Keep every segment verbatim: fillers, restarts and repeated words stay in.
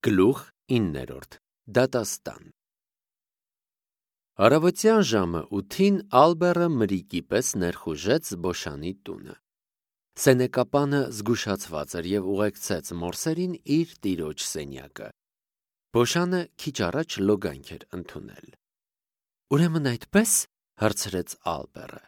Գլուխ իններորդ. Դատաստան Առավոտյան ժամը ութին Ալբերը մրիկի պես ներխուժեց Բոշանի տունը։ Սենեկապանը զգուշացված էր և ուղեկցեց մորսերին իր տիրոջ սենյակը։ Բոշանը քիչ առաջ լոգանք էր ընդունել։ «Ուրեմն այդպե՞ս», հարցրեց Ալբերը։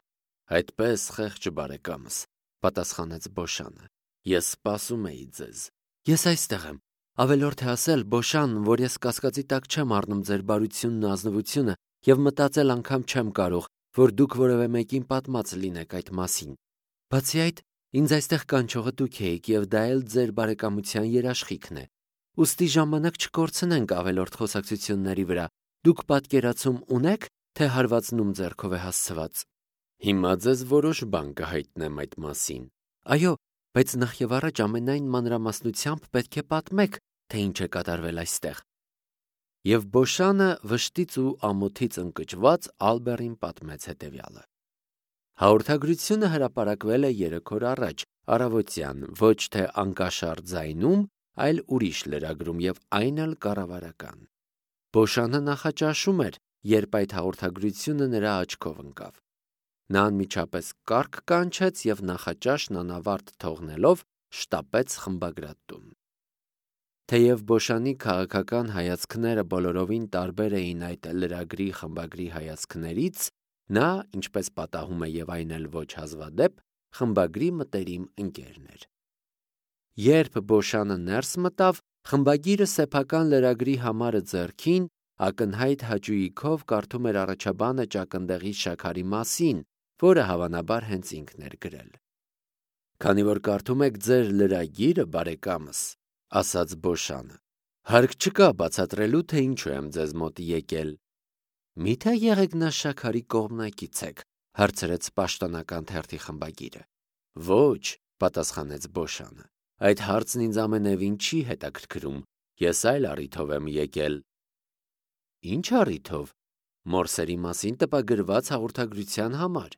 «Այդպես, խեղճ բարեկամս», պատասխանեց Բոշանը։ «Ես սպասում էի ձեզ»։ «Ես այստեղ եմ։ Ավելորդ է ասել, Բոշան, որ ես կասկածի տակ չեմ առնում ձեր բարությունն ու ազնվությունը և մտածել անգամ չեմ կարող, որ դուք որևէ մեկին պատմած լինեք այդ մասին։ Բացի այդ, ինձ այստեղ կանչողը դուք էիք և դա էլ ձեր բարեկամության երաշխիքն է։ Ուստի ժամանակ չկորցնենք ավելորդ խոսակցությունների վրա։ Դուք պատկերացում ունե՞ք, թե հարվածն ում ձեռքով է հասցված»։ «Հիմա ձեզ որոշ բան կհայտնեմ այդ մասին»։ «Այո, բայց նախևառաջ ամենայն մանրամասնությամբ պետք է պատմեք, թե ինչ է կատարվել այստեղ»։ Եվ Բոշանը վշտից ու ամոթից ընկճված Ալբերին պատմեց հետևյալը։ Հաղորդագրությունը հրապարակվել է երեք օր առաջ, առավոտյան, ոչ թե անկաշառ ձայնում, այլ ուրիշ լրագրում և այն էլ կառավարական։ Բոշանը նախաճաշում էր, երբ այդ հաղորդագրությունը նրա աչքով ընկավ։ Նա անմիջապես կառք կանչեց և նախաճաշն անավարտ թողնելով շտապեց խմբագրատուն։ Թեև Բոշանի քաղաքական հայացքները բոլորովին տարբեր էին այդ լրագրի խմբագրի հայացքներից, նա, ինչպես պատահում է և այն էլ ոչ հազվադեպ, խմբագրի մտերիմ ընկերն էր։ Երբ Բոշանը ներս մտավ, խմբագիրը սեփական լրագրի համարը ձեռքին, ակնհայտ հաճույքով կարդում էր առաջաբանը ճակնդեղի շաքարի մասին, որը հավանաբար հենց ինքն էր գրել։ «Քանի որ կարդում եք ձեր լրագիրը, բարեկամս», ասաց Բոշանը, «հարկ չկա բացատրելու, թե ինչու եմ ձեզ մոտ եկել»։ «Մի՞թե եղեգնաշաքարի կողմնակից եք», հարցրեց պաշտոնական թերթի խմբագիրը։ «Ոչ», պատասխանեց Բոշանը, «այդ հարցն ինձ ամենևին չի հետաքրքրում, ես այլ առիթով եմ եկել»։ «Ինչ առիթով»։ «Մորսերի մասին տպագրված հաղորդագրության համար»։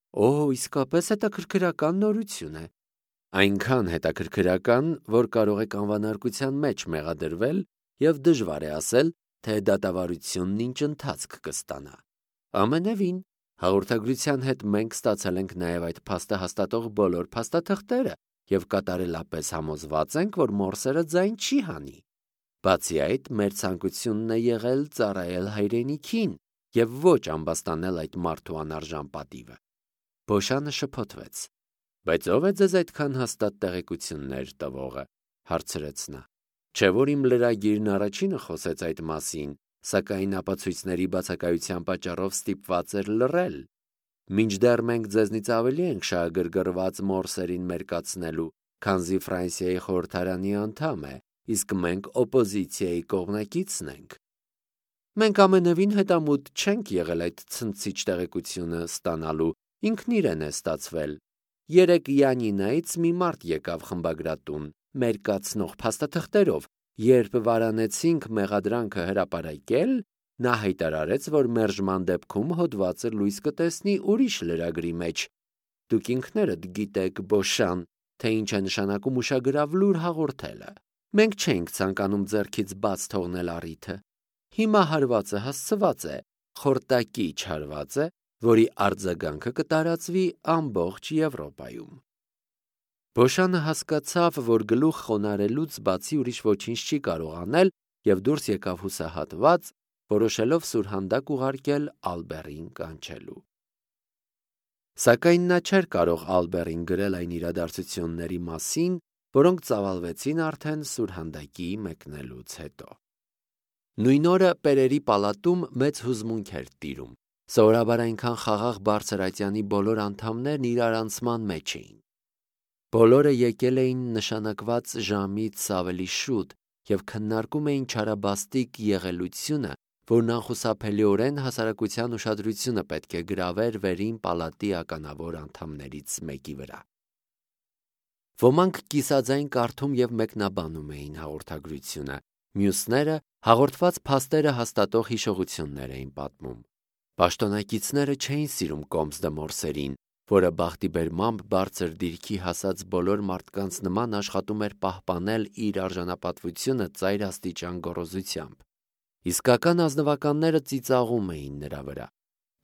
«Օ, իսկապես հետաքրքրական նորություն է»։ «Այնքան հետաքրքրական, որ կարող եք անվանարկության մեջ մեղադրվել և դժվար է ասել, թե դատավարությունն ինչ ընթացք կստանա»։ «Ամենևին, հաղորդագրության հետ մենք ստացել ենք նաև այդ փաստը հաստատող բոլոր փաստաթղթերը և կատարելապես համոզված ենք, որ Մորսերը ձայն չի հանի։ Բացի այդ, մեր ցանկությունն է եղել ծառայել հայրենիքին և ոչ ամբաստանել այդ մարդու անարժան պատիվը»։ Բոշանը շփոթվեց։ «Բայց ո՞վ է ձեզ այդքան հաստատ տեղեկություններ տվողը», հարցրեց նա։ «Չէ՞ որ իմ լրագիրն առաջինը խոսեց այդ մասին, սակայն ապացույցների բացակայության պատճառով ստիպված էր լռել։ Մինչդեռ մենք ձեզնից ավելի ենք շահագրգռված Մորսերին մերկացնելու, քանզի Ֆրանսիայի խորհրդարանի անդամ է, իսկ մենք օպոզիցիայի կողմնակիցն ենք։ Մենք ամենևին հետամուտ չենք եղել այդ ցնցիչ տեղեկությունը ստանալու, ինքն իրեն է ստացվել։ Երեկ Յանինայից մի մարդ եկավ խմբագրատուն, մերկացնող փաստաթղթերով։ Երբ վարանեցինք մեղադրանքը հրապարակել, նա հայտարարեց, որ մերժման դեպքում հոդվածը լույս կտեսնի ուրիշ լրագրի մեջ։ Դուք ինքներդ գիտեք, Բոշան, թե ինչ է նշանակում ուշագրավ լուր հաղորդելը։ Մենք չէինք ցանկանում ձեռքից բաց թողնել առիթը։ Հիմա հարվածը հասցված է, խորտակիչ հարված է, որի արձագանքը կտարածվի ամբողջ Եվրոպայում։ Բոշանը հասկացավ, որ գլուխ խոնարհելուց բացի ուրիշ ոչինչ չի կարող անել և դուրս եկավ հուսահատված, որոշելով սուրհանդակ ուղարկել Ալբերին կանչելու։ Սակայն նա չէր կարող Ալբերին գրել այն իրադարձությունների մասին, որոնք ծավալվեցին արդեն սուրհանդակի մեկնելուց հետո։ Նույն օրը Պերերի պալատում մեծ հուզմունք էր տիրում։ Սովորաբար այնքան խաղաղ բարձր ատյանի բոլոր անդամներն իրարանցման մեջ էին։ Բոլորը եկել էին նշանակված ժամից ավելի շուտ և քննարկում էին չարաբաստիկ եղելությունը, որն անխուսափելիորեն հասարակության ուշադրությունը պետք է գրավեր վերին պալատի ականավոր անդամներից մեկի վրա։ Ոմանք կիսաձայն կարդում և մեկնաբանում էին հաղորդագրությունը, մյուսները հաղորդված փաստերը հաստատող հիշողություններ էին պատմում։ Պաշտոնակիցները չէին սիրում Կոմս դե Մորսերին, որը բախտի բերմամբ բարձր դիրքի հասած բոլոր մարդկանց նման աշխատում էր պահպանել իր արժանապատվությունը ծայր աստիճան գոռոզությամբ։ Իսկական ազնվականները ծիծաղում էին նրա վրա։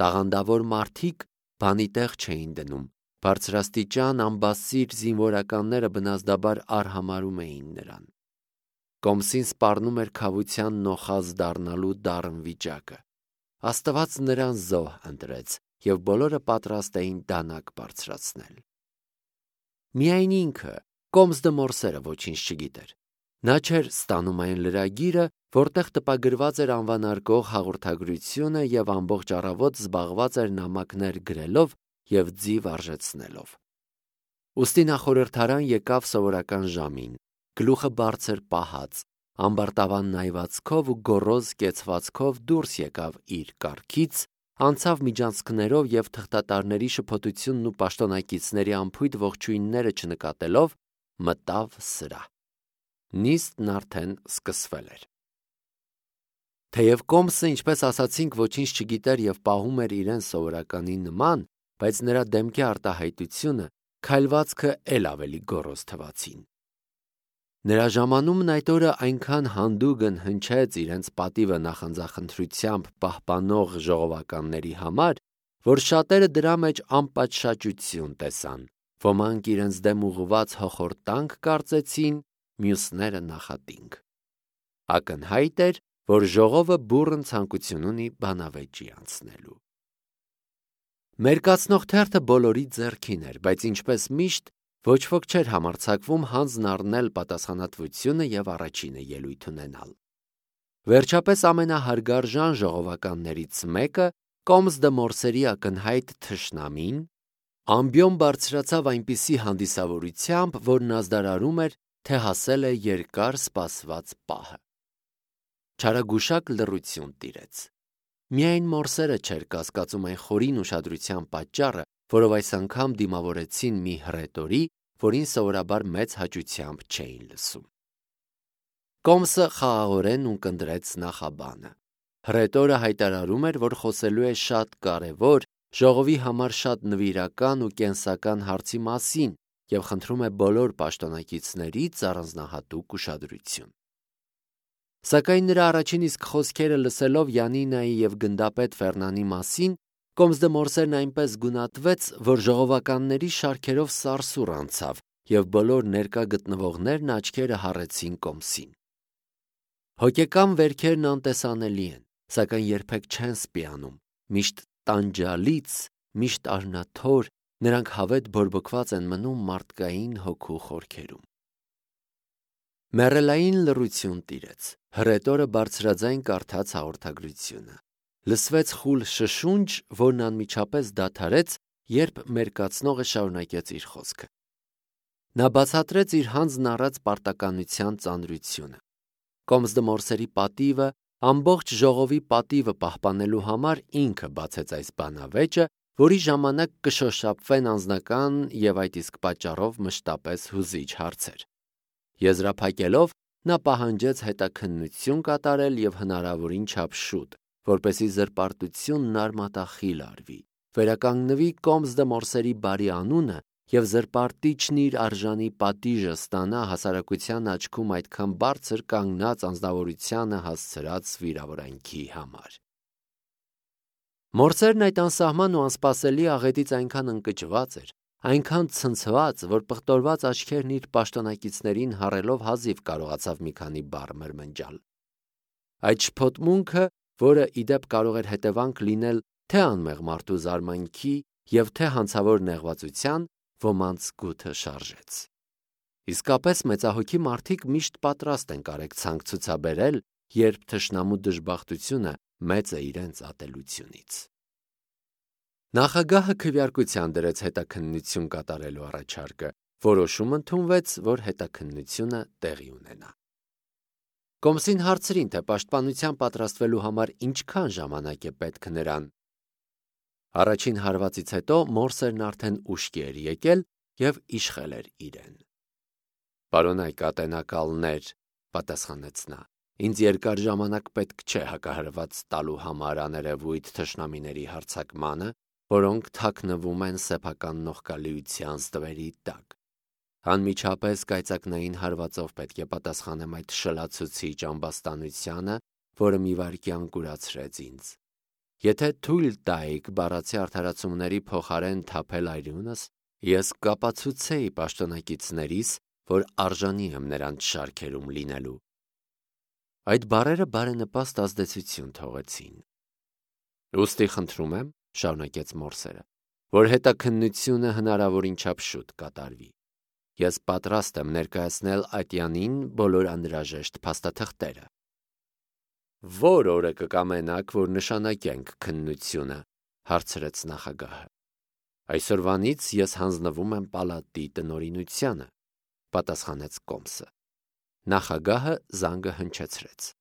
Տաղանդավոր մարդիկ բանի տեղ չէին դնում, բարձրաստիճան ամբասիր զինվորականները բնազդաբար արհամարհում էին նրան։ Կոմսին սպառնում էր քավության նոխազ դառնալու դառն վիճակը։ Աստված նրան զոհ ընտրեց, և բոլորը պատրաստ էին դանակ բարձրացնել։ Միայն ինքը, Կոմս դը Մորսերը, ոչինչ չգիտեր։ Նա չէր ստանում այն լրագիրը, որտեղ տպագրված էր անվանարկող հաղորդագրությունը և ամբողջ առավոտ զբաղված էր նամակներ գրելով և ձիվ արժեցնելով։ Ուստի նա խորհրդարան եկավ սովորական ժամին, գլուխը բարձր պահած, ամբարտավան նայվածքով ու գոռոզ կեցվածքով դուրս եկավ իր կառքից, անցավ միջանցքներով և թղթատարների շփոթությունն ու պաշտոնակիցների անփույթ ողջույնները չնկատելով, մտավ սրահ։ Նիստն արդեն սկսվել էր։ Թեև Կոմսը, ինչպես ասացինք, ոչինչ չգիտեր և պահում էր իրեն սովորականի նման, բայց նրա դեմքի արտահայտությունը, քայլվածքը էլ ավելի գոռոզ թվացին։ Նրա ժամանումն այդ օրը այնքան հանդուգն հնչեց իրենց պատիվը նախանձախնդրությամբ պահպանող ժողովականների համար, որ շատերը դրա մեջ անպատշաճություն տեսան, ոմանք իրենց դեմ ուղղված հոխորտանք կարծեցին, մյուսները նախատինք։ Ակնհայտ էր, որ ժողովը բուռն ցանկություն ունի բանավեճի անցնելու։ Մերկացնող թերթը բոլորի ձեռքին էր, բայց ինչպես միշտ ոչ ոք չէր համարձակվում հանձն առնել պատասխանատվությունը և առաջինը ելույթ ունենալ։ Վերջապես ամենահարգարժան ժողովականներից մեկը, Կոմս դը Մորսերի ակնհայտ թշնամին, ամբիոն բարձրացավ այնպիսի հանդիսավորությամբ, որն ազդարարում էր, թե հասել է երկար սպասված պահը։ Չարագուշակ լռություն տիրեց։ Միայն Մորսերը չէր կասկածում այն խորին ուշադրության պատճառը, որով այս անգամ դիմավորեցին մի հռետորի, որին սովորաբար մեծ հաճությամբ չէին լսում։ Կոմսը խաղաղորեն ունկնդրեց նախաբանը։ Հռետորը հայտարարում էր, որ խոսելու է շատ կարևոր, ժողովի համար շատ նվիրական ու կենսական հարցի մասին և խնդրում է բոլոր պաշտոնակիցներից առանձնահատուկ ուշադրություն։ Սակայն նրա առաջին իսկ խոսքերը լսելով Յանինայի և գնդապետ Ֆերնանի մասին, Կոմս դը Մորսերն այնպես գունատվեց, որ ժողովականների շարքերով սարսուռ անցավ, և բոլոր ներկա գտնվողներն աչքերը հառեցին Կոմսին։ Հոգեկան վերքերն անտեսանելի են, սակայն երբեք չեն սպիանում, միշտ տանջալից, միշտ արնաթոր, նրանք հավետ բորբոքված են մնում մարդկային հոգու խորքերում։ Մեռելային լռություն տիրեց։ Հռետորը բարձրաձայն կարդաց հաղորդագրությունը։ Լսվեց խուլ շշունջ, որն անմիջապես դադարեց, երբ մերկացնողը շարունակեց իր խոսքը։ Նա բացատրեց իր հանձն առած պարտականության ծանրությունը։ Կոմս դը Մորսերի պատիվը, ամբողջ ժողովի պատիվը պահպանելու համար ինքը բացեց այս բանավեճը, որի ժամանակ կշոշափվեն անձնական և այդ իսկ պատճառով մշտապես հուզիչ հարցեր։ Եզրափակելով, նա պահանջեց հետաքննություն կատարել և հնարավորին չափ շուտ, որպեսզի զրպարտությունն արմատախիլ արվի, վերականգնվի Կոմս դը Մորսերի բարի անունը և զրպարտիչն իր արժանի պատիժը ստանա հասարակության աչքում այդքան բարձր կանգնած անձնավորությանը հասցրած վիրավորանքի համար։ Մորսերն այդ անսահման ու անսպասելի աղետից այնքան ընկճված էր, այնքան ցնցված, որ պղտորված աչքերն իր պաշտոնակիցներին հառելով հազիվ կարողացավ մի քանի բառ մրմնջալ։ Այդ շփոթմունքը, որը ի դեպ կարող էր հետևանք լինել թե անմեղ մարդու զարմանքի և թե հանցավոր նեղվածության, ոմանց գութը շարժեց։ Իսկապես մեծահոգի մարդիկ միշտ պատրաստ են կարեկցանք ցուցաբերել, երբ թշնամու դժբախտությունը մեծ է իրենց ատելությունից։ Նախագահը քվեարկության դրեց հետաքննություն կատարելու առաջարկը, որոշում ընդունվեց, որ հետաքննությունը տեղի ունենա։ Կոմսին հարցրին, թե պաշտպանության պատրաստվելու համար ինչքան ժամանակ է պետք նրան։ Առաջին հարվածից հետո Մորսերն արդեն ուշքի էր եկել և իշխել էր իրեն։ «Պարոնայք ատենակալներ», պատասխանեց նա, «ինձ երկար ժամանակ պետք չէ հակահարված տալու համար աներևույթ թշնամիների հարձակմանը, որոնք թաքնվում են սեփական նողկալիության ստվերի տակ։ Անմիջապես կայծակնային հարվածով պետք է պատասխանեմ այդ շլացուցիչ ամբաստանությանը, որը մի վայրկյան կուրացրեց ինձ։ Եթե թույլ տայիք բառացի արդարացումների փոխարեն թափել այրունս, ես կապացուցեի պաշտոնակիցներիս, որ արժանի եմ նրանց շարքերում լինելու։ Այդ բառերը բարենպաստ ազդեցություն թողեցին։ Ուստի խնդրում եմ, շարունակեց Մորսերը, որ հետաքննությունը հնարավորին չափ շուտ կատարվի։ Ես պատրաստ եմ ներկայացնել ատյանին բոլոր անհրաժեշտ փաստաթղթերը։ Որ օրը կկամենաք, որ նշանակենք քննությունը, հարցրեց նախագահը։ Այսօրվանից ես հանձնվում եմ պալատի տնօրինությանը, պատասխանեց Կոմսը։ Նախագահը զանգը հնչեցրեց։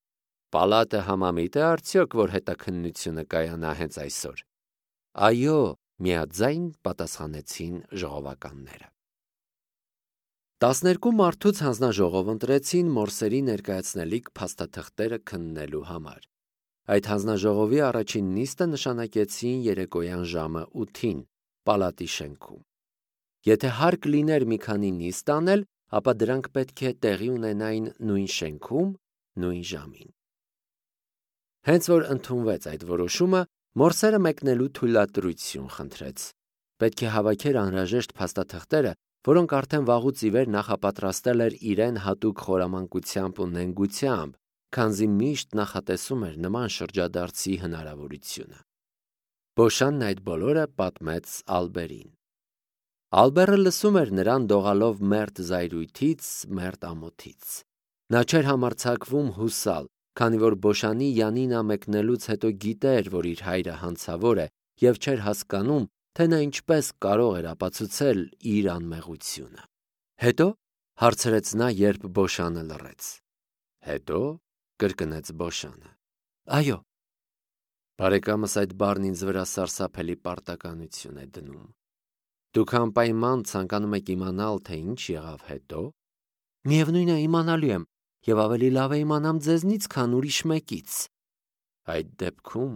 Պալատը համամիտ է արդյոք, որ հետաքննությունը կայանա հենց այսօր։ Այո, միաձայն պատասխանեցին ժողովականները։ Տասներկու մարդուց հանձնաժողով ընտրեցին Մորսերի ներկայացնելիք փաստաթղթերը քննելու համար։ Այդ հանձնաժողովի առաջին նիստը նշանակեցին երեկոյան ժամը ութին պալատի շենքում։ Եթե հարկ լիներ մի քանի նիստ անել, ապա դրանք պետք է տեղի ունենային նույն շենքում, նույն ժամին։ Հենց որ ընդունվեց այդ որոշումը, Մորսերը մեկնելու թույլատրություն խնդրեց։ Պետք է հավաքեր անհրաժեշտ փաստաթղթերը, որոնք արդեն վաղուց ի վեր նախապատրաստել էր իրեն հատուկ խորամանկությամբ ու նենգությամբ, քանզի միշտ նախատեսում էր նման շրջադարձի հնարավորությունը։ Բոշանն այդ բոլորը պատմեց Ալբերին։ Ալբերը լսում էր նրան դողալով մերթ զայրույթից, մերթ ամոթից։ Նա չէր համարձակվում հուսալ, քանի որ Բոշանի Յանինա մեկնելուց հետո գիտեր, որ իր հայրը հանցավոր է, և չէր հասկանում, թե նա ինչպես կարող էր ապացուցել իր անմեղությունը։ Հետո հարցրեց նա, երբ Բոշանը լռեց։ Հետո կրկնեց Բոշանը։ Այո։ Բարեկամս այդ բառն ինձ վրա սարսափելի պարտականություն է դնում։ Դուք անպայման ցանկանում եք իմանալ, թե ինչ եղավ հետո։ Միևնույն է, իմանալու եմ, և ավելի լավ է իմանամ ձեզնից, քան ուրիշ մեկից։ Այդ դեպքում,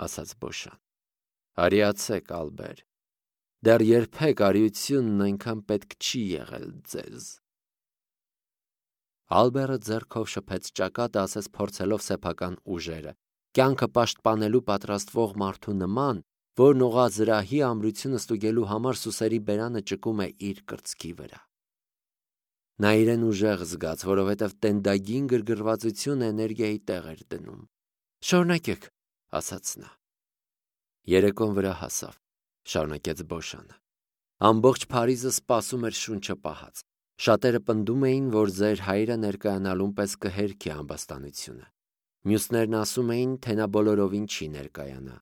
ասաց Բոշան, արիացեք, Ալբեր, դեռ երբեք արիությունն այնքան պետք չի եղել ձեզ։ Ալբերը ձեռքով շփեց ճակատը, ասես փորձելով սեփական ուժերը, կյանքը պաշտպանելու պատրաստվող մարդու նման, որն օղազրահի ամրությունը ստուգելու համար սուսերի բերանը ճկում է իր կրծքի վրա։ Նա իրեն ուժեղ զգաց, որովհետև տենդագին գրգռվածությունը էներգիայի տեղ էր դնում։ Շարունակեք, ասաց նա։ Երեկոն վրա հասավ, շարունակեց Բոշանը։ Ամբողջ Փարիզը սպասում էր շունչը պահած։ Շատերը պնդում էին, որ ձեր հայրը ներկայանալուն պես կհերքի ամբաստանությունը։ Մյուսներն ասում էին, թե նա բոլորովին չի ներկայանա։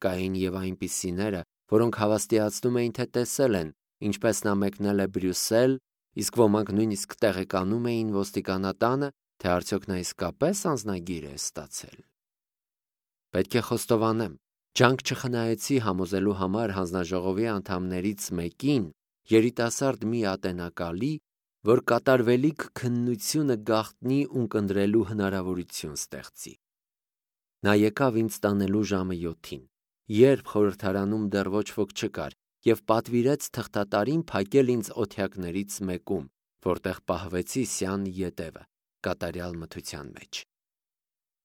Կային և այնպիսիները, որոնք հավաստիացնում էին, թե տեսել են, ինչպես նա մեկնել է Բրյուսել, իսկ ոմանք նույնիսկ տեղեկանում էին ոստիկանատանը, թե արդյոք նա իսկապես անձնագիր է ստացել։ Պետք է խոստովանեմ, ջանք չխնայեցի համոզելու համար հանձնաժողովի անդամներից մեկին, երիտասարդ մի ատենակալի, որ կատարվելիք քննությունը գաղտնի ունկնդրելու հնարավորություն ստեղծի։ Նա եկավ ինձ տանելու ժամը յոթին, երբ խորհրդարանում դեռ ոչ ոք չկար, և պատվիրեց թղթատարին փակել ինձ օթյակներից մեկում, որտեղ պահվեցի սյան ետևը, կատարյալ մթության մեջ։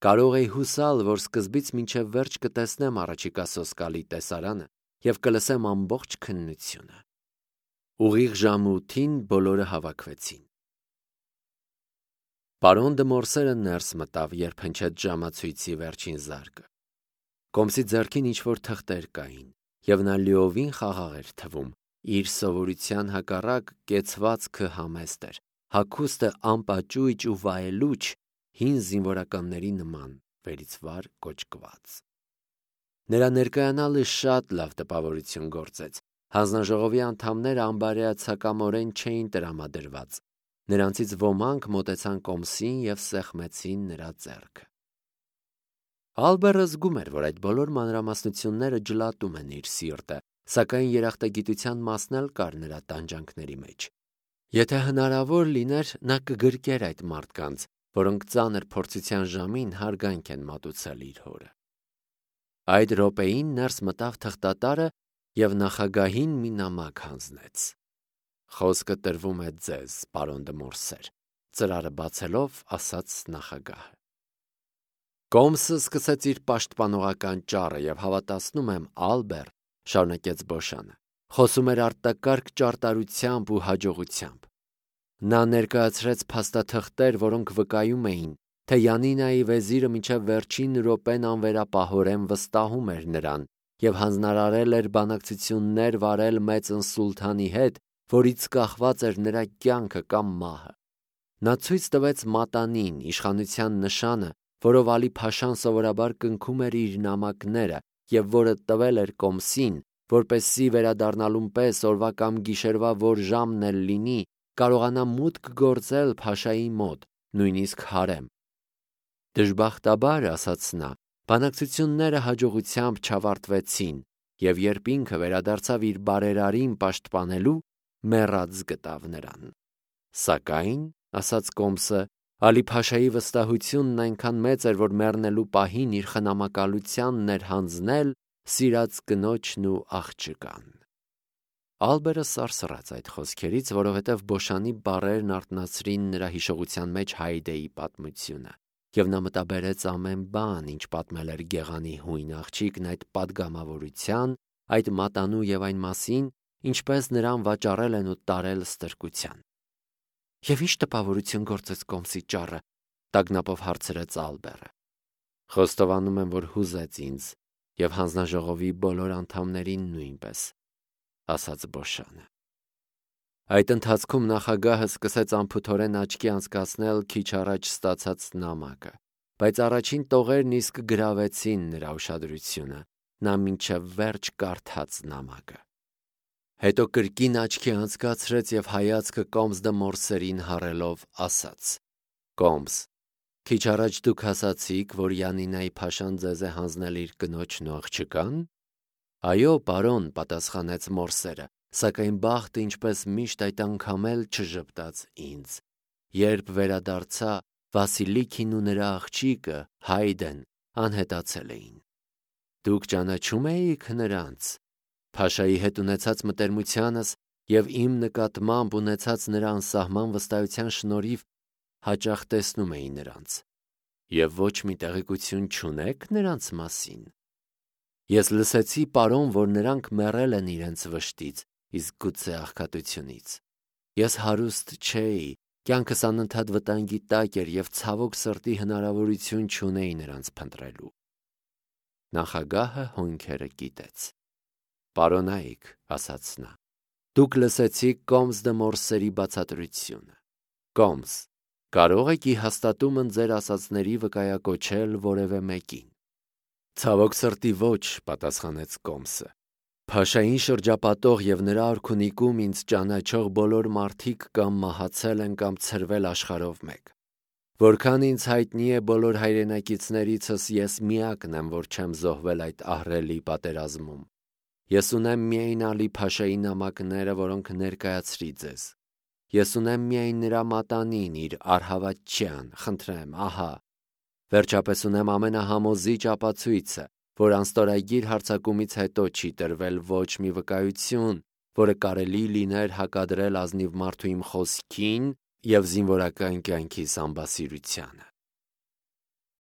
Կարող էի հուսալ, որ սկզբից մինչև վերջ կտեսնեմ առաջիկա սոսկալի տեսարանը և կլսեմ ամբողջ քննությունը։ Ուղիղ ժամը ութին բոլորը հավաքվեցին։ Պարոն դը Մորսերը ներս մտավ, երբ հնչեց ժամացույցի վերջին զարկը։ Կոմսի ձեռքին ինչ-որ թղթեր կային, և նա լիովին խաղաղ էր թվում, իր սովորության հակառակ կեցվածքը համեստ էր, հագուստը անպաճույճ ու վայելուչ, հին զինվորականների նման, վերից վար կոճկված։ Նրա ներկայանալը շատ լավ տպավորություն գործեց։ Հանձնաժողովի անդամները անբարեացակամորեն չէին տրամադրված։ Նրանցից ոմանք մոտեցան Կոմսին և սեղմեցին նրա ձեռքը։ Ալբերը զգում էր, որ այդ բոլոր մանրամասնությունները ջլատում են իր սիրտը, սակայն երախտագիտության մասն էլ կար նրա տանջանքների մեջ։ Եթե հնարավոր լիներ, նա կգրկեր այդ մարդկանց, որոնք ծանր փորձության ժամին հարգանք են մատուցել իր հորը։ Այդ րոպեին ներս մտավ թղթատարը և նախագահին մի նամակ հանձնեց։ «Խոսքը տրվում է ձեզ, պարոն դը Մորսեր», ծրարը բացելով ասաց նախագահը։ Կոմսը սկսեց իր պաշտպանողական ճառը և հավատացնում եմ, Ալբեր, շարունակեց Բոշանը, խոսում էր արտակարգ ճարտարությամբ ու հաջողությամբ։ Նա ներկայացրեց փաստաթղթեր, որոնք վկայում էին, թե Յանինայի վեզիրը մինչև վերջին րոպեն անվերապահորեն վստահում էր նրան և հանձնարարել էր բանակցություններ վարել մեծն սուլթանի հետ, որից կախված էր նրա կյանքը կամ մահը։ Նա ցույց տվեց մատանին, իշխանության նշանը, որով Ալի Փաշան սովորաբար կնքում էր իր նամակները և որը տվել էր Կոմսին, որպեսզի վերադառնալուն պես օրվա կամ գիշերվա որ ժամն էլ լինի, կարողանա մուտք գործել Փաշայի մոտ, նույնիսկ հարեմ։ Դժբախտաբար, ասաց նա, բանակցությունները հաջողությամբ չավարտվեցին, և երբ ինքը վերադարձավ իր բարերարին պաշտպանելու, մեռած գտավ նրան։ Սակայն, ասաց Կոմսը, Ալի Փաշայի վստահությունն այնքան մեծ էր, որ մեռնելու պահին իր խնամակալությանն էր հանձնել սիրած կնոջն ու աղջկան։ Ալբերը սարսռաց այդ խոսքերից, որովհետև Բոշանի բառերն արթնացրին նրա հիշողության մեջ Հայդեի պատմությունը, և նա մտաբերեց ամեն բան, ինչ պատմել էր գեղանի հույն աղջիկն այդ պատգամավորության, այդ մատանու և այն մասին, ինչպես նրան վաճառել են ու տարել ստրկության։ «Եվ ի՞նչ տպավորություն գործեց Կոմսի ճառը», տագնապով հարցրեց Ալբերը։ «Խոստովանում եմ, որ հուզեց ինձ և հանձնաժողովի բոլոր անդամներին նույնպես», ասաց Բոշանը։ Այդ ընթացքում նախագահը սկսեց անփութորեն աչքի անցկացնել քիչ առաջ ստացած նամակը, բայց առաջին տողերն իսկ գրավեցին նրա ուշադրությունը, նա մինչև վերջ կարդաց նամակը։ Հետո կրկին աչքի անցկացրեց և հայացքը Կոմս դը Մորսերին հառելով ասաց. «Կոմս, քիչ առաջ դուք ասացիք, որ Յանինայի Փաշան ձեզ է հանձնել իր կնոջն ու աղջկան»։ «Այո, պարոն», պատասխանեց Մորսերը, սակայն բախտը ինչպես միշտ այդ անգամ էլ չժպտաց ինձ։ Երբ վերադարձա, Վասիլիքին ու նրա աղջիկը Հայդեն անհետացել էին։ Դուք ճանաչում էիք նրանց։ Փաշայի հետ ունեցած մտերմությանս և իմ նկատմամբ ունեցած նրա անսահման վստահության շնորհիվ հաճախ տեսնում էի նրանց։ Եվ ոչ մի տեղեկություն չունեք նրանց մասին։ Ես լսեցի, պարոն, որ նրանք մեռել են իրենց վշտից, իսկ գուցե աղքատությունից։ Ես հարուստ չէի, կյանքս անընդհատ վտանգի տակ էր և ցավոք սրտի հնարավորություն չունեի նրանց փնտրելու։ Նախագահը հոնքերը կիտեց։ «Պարոնայք», ասաց նա, «դուք լսեցիք Կոմս դը Մորսերի բացատրությունը։ Կոմս, կարո՞ղ եք ի հաստատումն ձեր ասածների վկայակոչել որևէ մեկին»։ «Ցավոք սրտի ոչ», պատասխանեց Կոմսը։ «Փաշային շրջապատող և նրա արքունիքում ինձ ճանաչող բոլոր մարդիկ կամ մահացել են կամ ցրվել աշխարհով մեկ։ Որքան ինձ հայտնի է բոլոր հայրենակիցներիցս ես միակն եմ, որ չեմ զոհվել այդ ահռելի պատերազմում։ Ես ունեմ միայն Ալի Փաշայի նամակները, որոնք ներկայացրի ձեզ։ Ես ունեմ միայն նրա մատանին, իր առհավատչյան, խնդրեմ, ահա։ Վերջապես ունեմ ամենահամոզիչ ապացույցը, որ անստորագիր հարձակումից հետո չի տրվել ոչ մի վկայություն, որը կարելի լիներ հակադրել ազնիվ մարդու իմ խոսքին և զինվորական կյանքիս ամբասիրությանը։